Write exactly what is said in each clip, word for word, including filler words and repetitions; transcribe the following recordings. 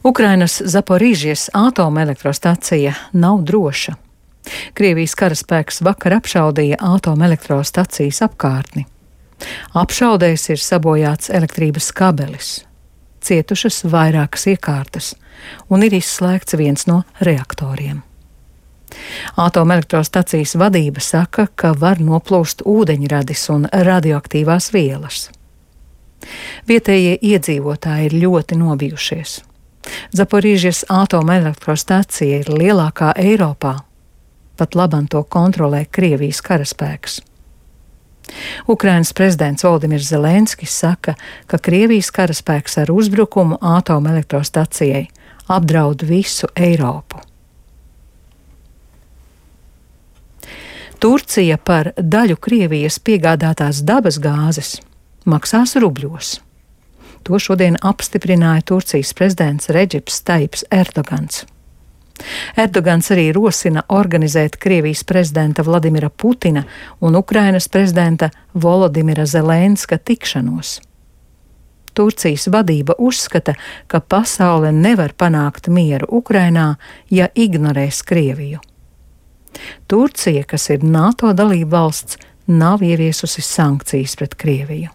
Ukrainas Zaporīžijas atomelektrostacija nav droša. Krievijas karaspēks vakar apšaudīja atomelektrostacijas apkārtni. Apšaudēs ir sabojāts elektrības kabelis, cietušas vairākas iekārtas un ir izslēgts viens no reaktoriem. Atomelektrostacijas vadība saka, ka var noplūst ūdeņradis un radioaktīvās vielas. Vietējie iedzīvotāji ir ļoti nobijušies. Zaporīžijas atomelektrostacija ir lielākā Eiropā. Pat labam to kontrolē Krievijas karaspēks. Ukrainas prezidents Volodimirs Zelenskis saka, ka Krievijas karaspēks ar uzbrukumu atomelektrostacijai apdraud visu Eiropu. Turcija par daļu Krievijas piegādātās dabas gāzes maksās rubļos. To šodien apstiprināja Turcijas prezidents Redžips Tajips Erdogans. Erdogans arī rosina organizēt Krievijas prezidenta Vladimira Putina un Ukrainas prezidenta Volodimira Zelenska tikšanos. Turcijas vadība uzskata, ka pasaule nevar panākt mieru Ukrainā, ja ignorēs Krieviju. Turcija, kas ir NATO dalība valsts, nav ieviesusi sankcijas pret Krieviju.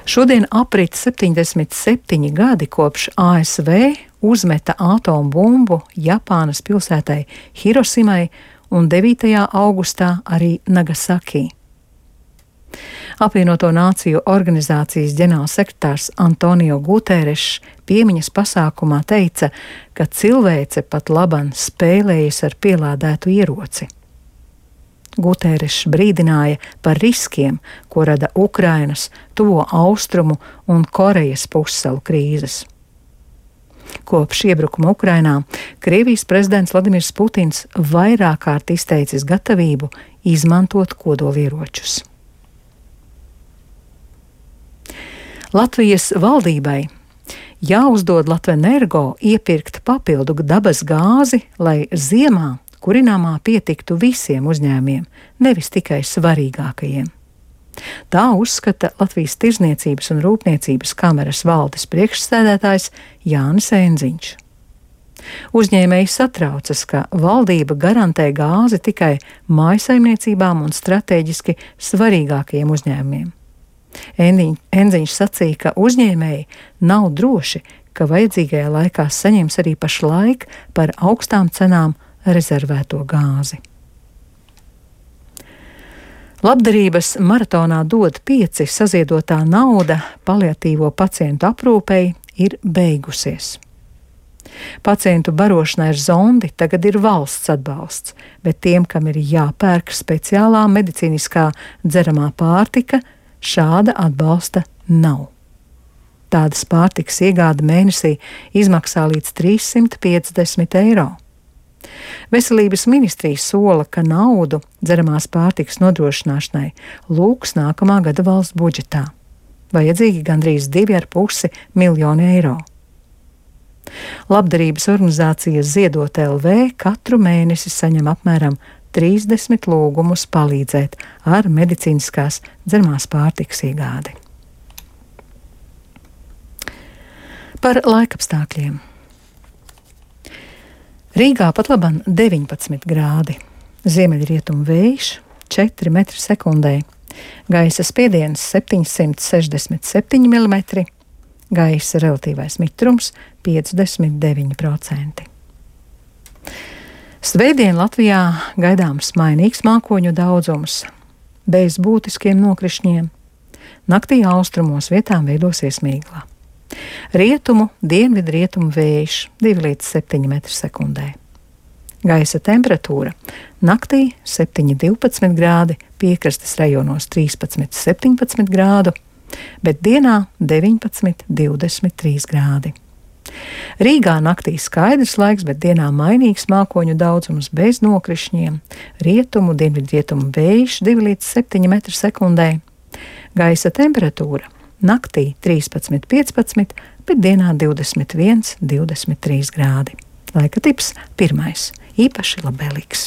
Šodien aprit septiņdesmit septiņi gadi kopš A S V uzmeta atombumbu Japānas pilsētai Hirosimai un devītajā augustā arī Nagasaki. Apvienoto Nāciju organizācijas ģenerālsekretārs Antonio Guterres piemiņas pasākumā teica, ka cilvēce pat laban spēlējas ar pielādētu ieroci. Guterres brīdināja par riskiem, ko rada Ukrainas, Tuvo Austrumu un Korejas pussalu krīzes. Kopš iebrukuma Ukrainā Krievijas prezidents Vladimirs Putins vairāk kārt izteicis gatavību izmantot kodolieročus. Latvijas valdībai jāuzdod Latvenergo iepirkt papildu dabas gāzi, lai ziemā kurināmā pietiktu visiem uzņēmiem, nevis tikai svarīgākajiem. Tā uzskata Latvijas Tirzniecības un Rūpniecības kameras valdes priekšsēdētājs Jānis Enziņš. Uzņēmēji satraucas, ka valdība garantē gāzi tikai mājsaimniecībām un strateģiski svarīgākajiem uzņēmumiem. Enziņš sacīja, ka uzņēmēji nav droši, ka vajadzīgajā laikā saņems arī pašlaik par augstām cenām rezervēto gāzi. Labdarības maratonā dod pieci saziedotā nauda paliatīvo pacientu aprūpei ir beigusies. Pacientu barošanai ar zondi tagad ir valsts atbalsts, bet tiem, kam ir jāpērk speciālā medicīniskā dzeramā pārtika, šāda atbalsta nav. Tādas pārtikas iegāde mēnesī izmaksā līdz trīs simti piecdesmit eiro. Veselības ministrija sola, ka naudu dzeramās pārtikas nodrošināšanai lūgs nākamā gada valsts budžetā. Vajadzīgi gandrīz divi ar pusi miljoni eiro. Labdarības organizācija Ziedot L V katru mēnesi saņem apmēram trīsdesmit lūgumus palīdzēt ar medicīniskās dzeramās pārtikas iegādi. Par laikapstākļiem. Rīgā pat laban deviņpadsmit grādi, ziemeļrietumu vējš četri metri sekundē, gaisa spiediens septiņsimt sešdesmit septiņi milimetri, gaisa relatīvais mitrums piecdesmit deviņi procenti. Svētdien Latvijā gaidāms mainīgs mākoņu daudzums, bez būtiskiem nokrišņiem. Naktī austrumos vietām veidosies mīgla. Rietumu, dienvidrietumu vējš divi līdz septiņi metri sekundē. Gaisa temperatūra naktī septiņi divpadsmit grādi, piekrastes rajonos trīspadsmit septiņpadsmit grādu, bet dienā deviņpadsmit divdesmit trīs grādi. Rīgā naktī skaidrs laiks, bet dienā mainīgs mākoņu daudzums bez nokrišņiem, rietumu, dienvidrietumu vējš divi līdz septiņi metri sekundē. Gaisa temperatūra naktī trīspadsmit piecpadsmit, bet dienā divdesmit viens divdesmit trīs grādi. Laika tips pirmais, īpaši labvēlīgs.